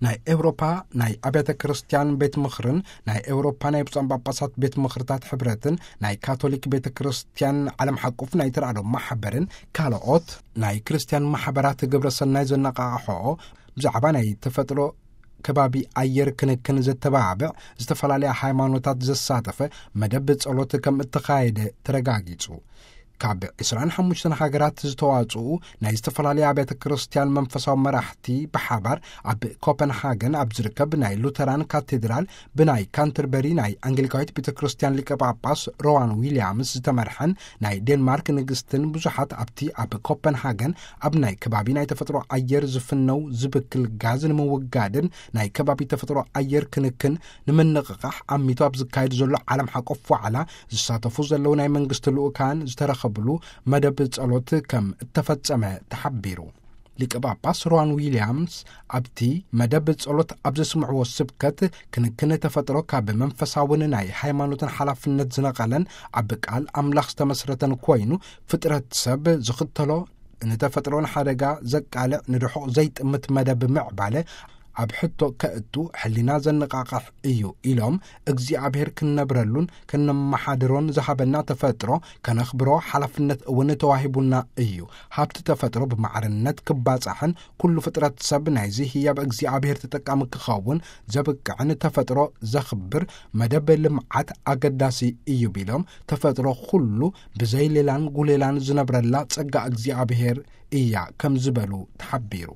ናይ ኤውሮፓ ናይ ኣብያተ ክርስቲያን ቤት ምኽርን ናይ ኤውሮፓ ናይ ብፁዓን ጳጳሳት ቤት ምኽርታት ሕብረትን ናይ ካቶሊክ ቤተ ክርስቲያን ዓለም ሓቁፍ ናይ ተራድኦ ማሕበርን ካልኦት ናይ ክርስቲያን ማሕበራት ግብረ ሰናይ ዘነቓቕሖ ብዛዕባ ናይ ተፈጥሮ ከባቢ ኣየር ክንክን ዘተባብዕ ዝተፈላለያ ሃይማኖታት ዘሳተፈ መደብ ጸሎት ከም እተኻየደ ተረጋጊጹ። ካብ ዕስራን ሓሙሽተን ሃገራት ዝተዋጽኡ ናይ ዝተፈላለያ ኣብያተ ክርስቲያን መንፈሳዊ መራሕቲ ብሓባር ኣብ ኮፐንሃገን ኣብ ዝርከብ ናይ ሉተራን ካቴድራል ብናይ ካንተርበሪ ናይ ኣንግሊካዊት ቤተ ክርስቲያን ሊቀ ጳጳስ ሮዋን ዊልያምስ ዝተመርሐን ናይ ዴንማርክ ንግስትን ብዙሓት ኣብቲ ኣብ ኮፐንሃገን ኣብ ናይ ከባቢ ናይ ተፈጥሮ ኣየር ዝፍነው ዝብክል ጋዝ ንምውጋድን ናይ ከባቢ ተፈጥሮ ኣየር ክንክን ንምንቕቓሕ ኣሚቱ ኣብ ዝካየድ ዘሎ ዓለም ሓቆፍ ዋዕላ ዝሳተፉ ዘለዉ ናይ መንግስቲ ልኡካን ዝተረኸብሉ መደብ ጸሎት ከም እተፈጸመ ተሓቢሩ። ሊቀ ጳጳስ ሮዋን ዊልያምስ ኣብቲ መደብ ጸሎት ኣብ ዘስምዕዎ ስብከት፣ ክንክን ተፈጥሮ ካብ መንፈሳውን ናይ ሃይማኖትን ሓላፍነት ዝነቐለን ኣብ ቃል ኣምላኽ ዝተመስረተን ኮይኑ፣ ፍጥረት ሰብ ዝኽተሎ ንተፈጥሮ ንሓደጋ ዘቃልዕ ንርሑቕ ዘይጥምት መደብ ምዕባለ ኣብ ሕቶ ከእቱ ሕሊና ዘነቓቕሕ እዩ ኢሎም፣ እግዚኣብሔር ክነብረሉን ክነመሓድሮን ዝሃበና ተፈጥሮ ከነኽብሮ ሓላፍነት እውን ተዋሂቡና እዩ። ሃብቲ ተፈጥሮ ብማዕርነት ክባጻሕን ኩሉ ፍጥረት ሰብ ናይዚ ህያብ እግዚኣብሔር ተጠቃሚ ክኸውን ዘብቅዕን ተፈጥሮ ዘኽብር መደብ ልምዓት ኣገዳሲ እዩ ቢሎም፣ ተፈጥሮ ኩሉ ብዘይ ሌላን ጉሌላን ዝነብረላ ጸጋ እግዚኣብሔር እያ ከም ዝበሉ ተሓቢሩ።